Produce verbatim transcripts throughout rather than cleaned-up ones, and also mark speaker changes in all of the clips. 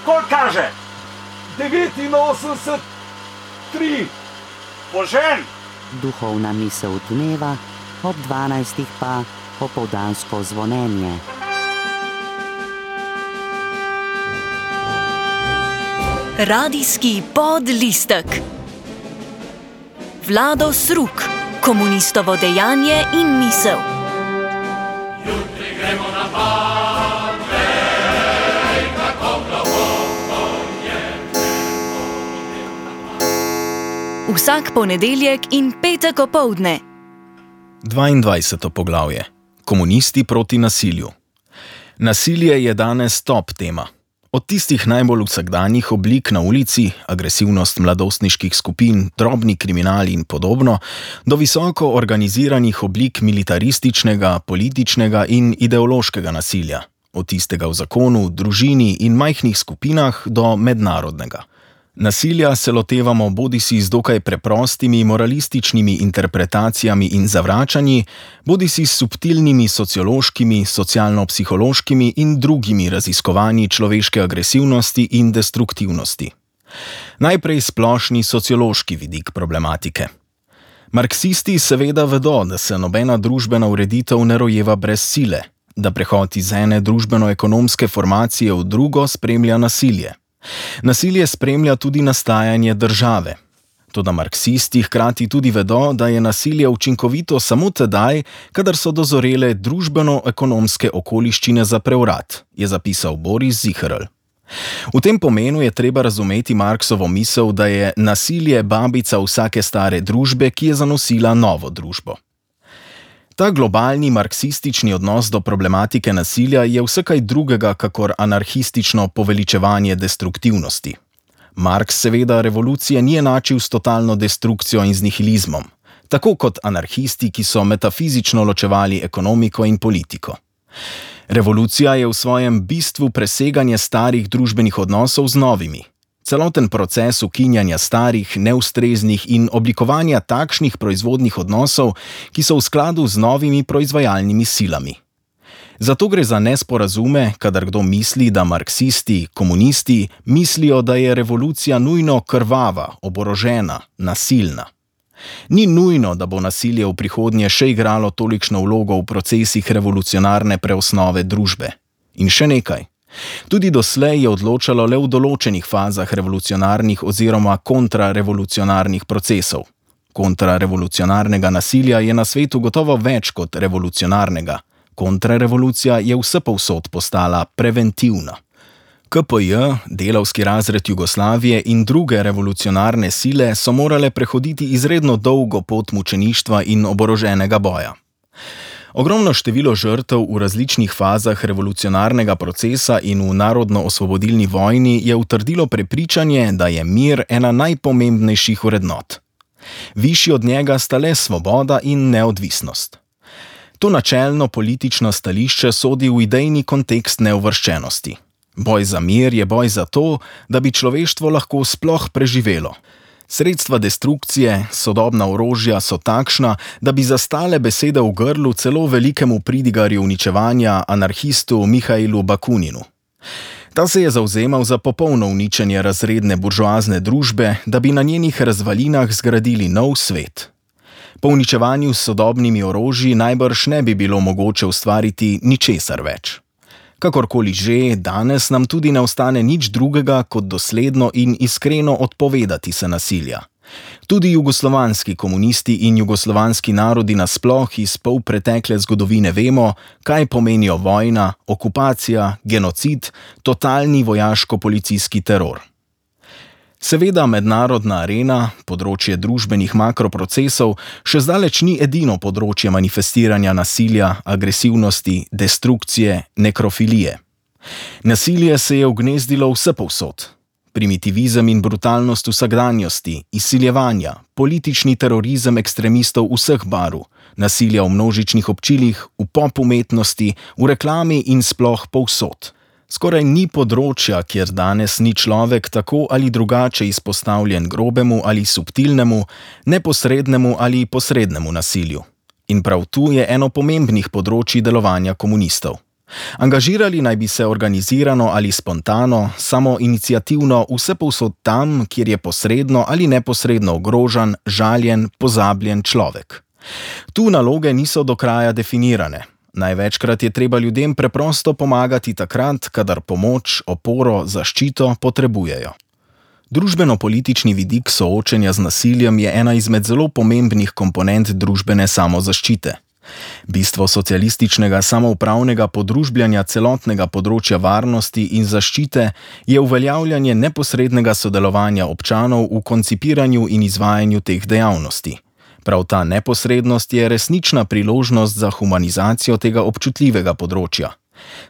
Speaker 1: Koliko kaže? devetinosemdeset tri. Požen!
Speaker 2: Duhovna misel dneva, ob dvanajstih pa popoldansko zvonjenje.
Speaker 3: Radijski podlistek. Vlado Sruk, komunistovo dejanje in misel.
Speaker 4: Jutri gremo na Badvej, kako globoko je nebo.
Speaker 3: Vsak ponedeljek in petek opoldne.
Speaker 5: dvaindvajseto poglavje. Komunisti proti nasilju. Nasilje je danes top tema. Od tistih najbolj vsakdanjih oblik na ulici, agresivnost mladostniških skupin, drobni kriminal in podobno, do visoko organiziranih oblik militarističnega, političnega in ideološkega nasilja. Od tistega v zakonu, družini in majhnih skupinah do mednarodnega. Nasilja se lotevamo bodisi z dokaj preprostimi moralističnimi interpretacijami in zavračanji, bodisi s subtilnimi sociološkimi, socialno-psihološkimi in drugimi raziskovanji človeške agresivnosti in destruktivnosti. Najprej splošni sociološki vidik problematike. Marksisti seveda vedo, da se nobena družbena ureditev ne rojeva brez sile, da prehod iz ene družbeno-ekonomske formacije v drugo spremlja nasilje. Nasilje spremlja tudi nastajanje države. Toda marksisti hkrati tudi vedo, da je nasilje učinkovito samo tedaj, kadar so dozorele družbeno-ekonomske okoliščine za prevrat, je zapisal Boris Ziherl. V tem pomenu je treba razumeti Marksovo misel, da je nasilje babica vsake stare družbe, ki je zanosila novo družbo. Ta globalni marksistični odnos do problematike nasilja je vse kaj drugega kakor anarhistično poveličevanje destruktivnosti. Marks seveda revolucije ni enačil s totalno destrukcijo in z nihilizmom, tako kot anarhisti, ki so metafizično ločevali ekonomiko in politiko. Revolucija je v svojem bistvu preseganje starih družbenih odnosov z novimi. Celoten proces ukinjanja starih, neustreznih in oblikovanja takšnih proizvodnih odnosov, ki so v skladu z novimi proizvajalnimi silami. Zato gre za nesporazume, kadar kdo misli, da marksisti, komunisti mislijo, da je revolucija nujno krvava, oborožena, nasilna. Ni nujno, da bo nasilje v prihodnje še igralo tolikšno vlogo v procesih revolucionarne preosnove družbe. In še nekaj. Tudi doslej je odločalo le v določenih fazah revolucionarnih oziroma kontrarevolucionarnih procesov. Kontrarevolucionarnega nasilja je na svetu gotovo več kot revolucionarnega. Kontrarevolucija je vsepovsod postala preventivna. K P J, delavski razred Jugoslavije in druge revolucionarne sile so morale prehoditi izredno dolgo pot mučeništva in oboroženega boja. Ogromno število žrtev v različnih fazah revolucionarnega procesa in v narodno-osvobodilni vojni je utrdilo prepričanje, da je mir ena najpomembnejših vrednot. Višji od njega sta le svoboda in neodvisnost. To načelno politično stališče sodi v idejni kontekst neuvrščenosti. Boj za mir je boj za to, da bi človeštvo lahko sploh preživelo. Sredstva destrukcije, sodobna orožja so takšna, da bi zastale besede v grlu celo velikemu pridigarju uničevanja, anarhistu Mihajlu Bakuninu. Ta se je zavzemal za popolno uničenje razredne buržoazne družbe, da bi na njenih razvalinah zgradili nov svet. Po uničevanju s sodobnimi orožji najbrž ne bi bilo mogoče ustvariti ničesar več. Kakorkoli že, danes nam tudi ne ostane nič drugega, kot dosledno in iskreno odpovedati se nasilja. Tudi jugoslovanski komunisti in jugoslovanski narodi nasploh iz polpretekle zgodovine vemo, kaj pomenijo vojna, okupacija, genocid, totalni vojaško-policijski teror. Seveda mednarodna arena, področje družbenih makroprocesov, še zdaleč ni edino področje manifestiranja nasilja, agresivnosti, destrukcije, nekrofilije. Nasilje se je ugnezdilo vsepovsod. Primitivizem in brutalnost vsakdanjosti, izsiljevanja, politični terorizem ekstremistov vseh barv, nasilja v množičnih občilih, v pop umetnosti, v reklami in sploh povsod. Skoraj ni področja, kjer danes ni človek tako ali drugače izpostavljen grobemu ali subtilnemu, neposrednemu ali posrednemu nasilju. In prav tu je eno pomembnih področij delovanja komunistov. Angažirali naj bi se organizirano ali spontano, samo iniciativno vsepovsod tam, kjer je posredno ali neposredno ogrožen, žaljen, pozabljen človek. Tu naloge niso do kraja definirane. Največkrat je treba ljudem preprosto pomagati takrat, kadar pomoč, oporo, zaščito potrebujejo. Družbeno-politični vidik soočenja z nasiljem je ena izmed zelo pomembnih komponent družbene samozaščite. Bistvo socialističnega samoupravnega podružbljanja celotnega področja varnosti in zaščite je uveljavljanje neposrednega sodelovanja občanov v koncipiranju in izvajanju teh dejavnosti. Prav ta neposrednost je resnična priložnost za humanizacijo tega občutljivega področja.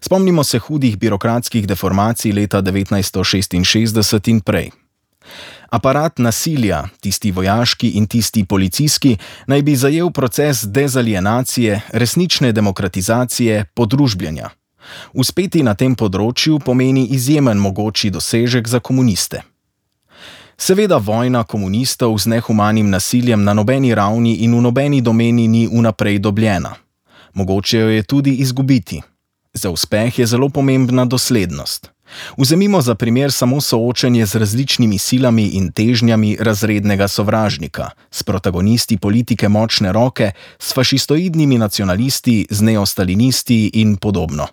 Speaker 5: Spomnimo se hudih birokratskih deformacij leta devetnajststo šestinšestdeset in prej. Aparat nasilja, tisti vojaški in tisti policijski, naj bi zajel proces dezalienacije, resnične demokratizacije, podružbljanja. Uspeti na tem področju pomeni izjemen mogoči dosežek za komuniste. Seveda vojna komunistov z nehumanim nasiljem na nobeni ravni in v nobeni domeni ni vnaprej dobljena. Mogoče jo je tudi izgubiti. Za uspeh je zelo pomembna doslednost. Vzemimo za primer samo soočenje z različnimi silami in težnjami razrednega sovražnika, s protagonisti politike močne roke, s fašistoidnimi nacionalisti, z neostalinisti in podobno.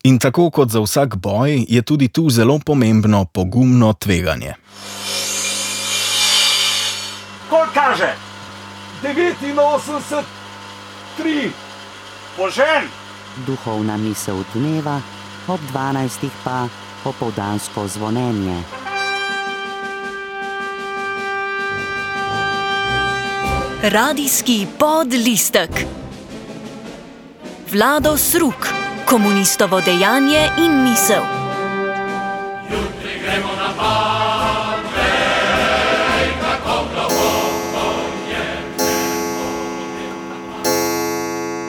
Speaker 5: In tako kot za vsak boj, je tudi tu zelo pomembno pogumno tveganje.
Speaker 1: Koliko kaže? devetinosemdeset, tri. Požen!
Speaker 2: Duhovna misel dneva, ob dvanajstih pa popoldansko zvonjenje.
Speaker 3: Radijski podlistek. Vlado Sruk, komunistovo dejanje in misel.
Speaker 4: Jutri gremo na pad, vej, kako globoko je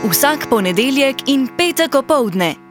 Speaker 4: nebo.
Speaker 3: Vsak ponedeljek in petek opoldne.